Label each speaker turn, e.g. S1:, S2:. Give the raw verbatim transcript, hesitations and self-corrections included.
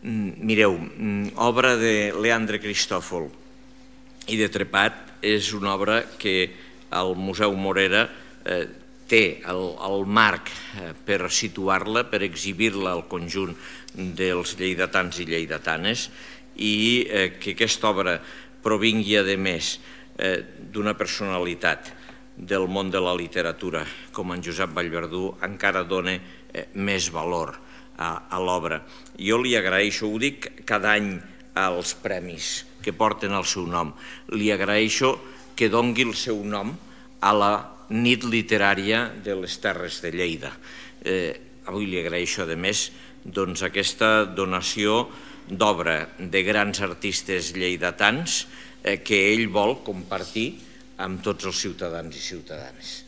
S1: Mireu, obra de Leandre Cristòfol i de Trepat és una obra que el Museu Morera té el marc per situar-la, per exhibir-la al conjunt dels lleidatans i lleidatanes, i que aquesta obra provingui, a més, d'una personalitat del món de la literatura com en Josep Vallverdú encara dona més valor a l'obra. Jo li agraeixo, ho dic cada any als premis que porten el seu nom, li agraeixo que doni el seu nom a la nit literària de les Terres de Lleida. Avui li agraeixo, a més, aquesta donació d'obra de grans artistes lleidatans que ell vol compartir amb tots els ciutadans i ciutadanes.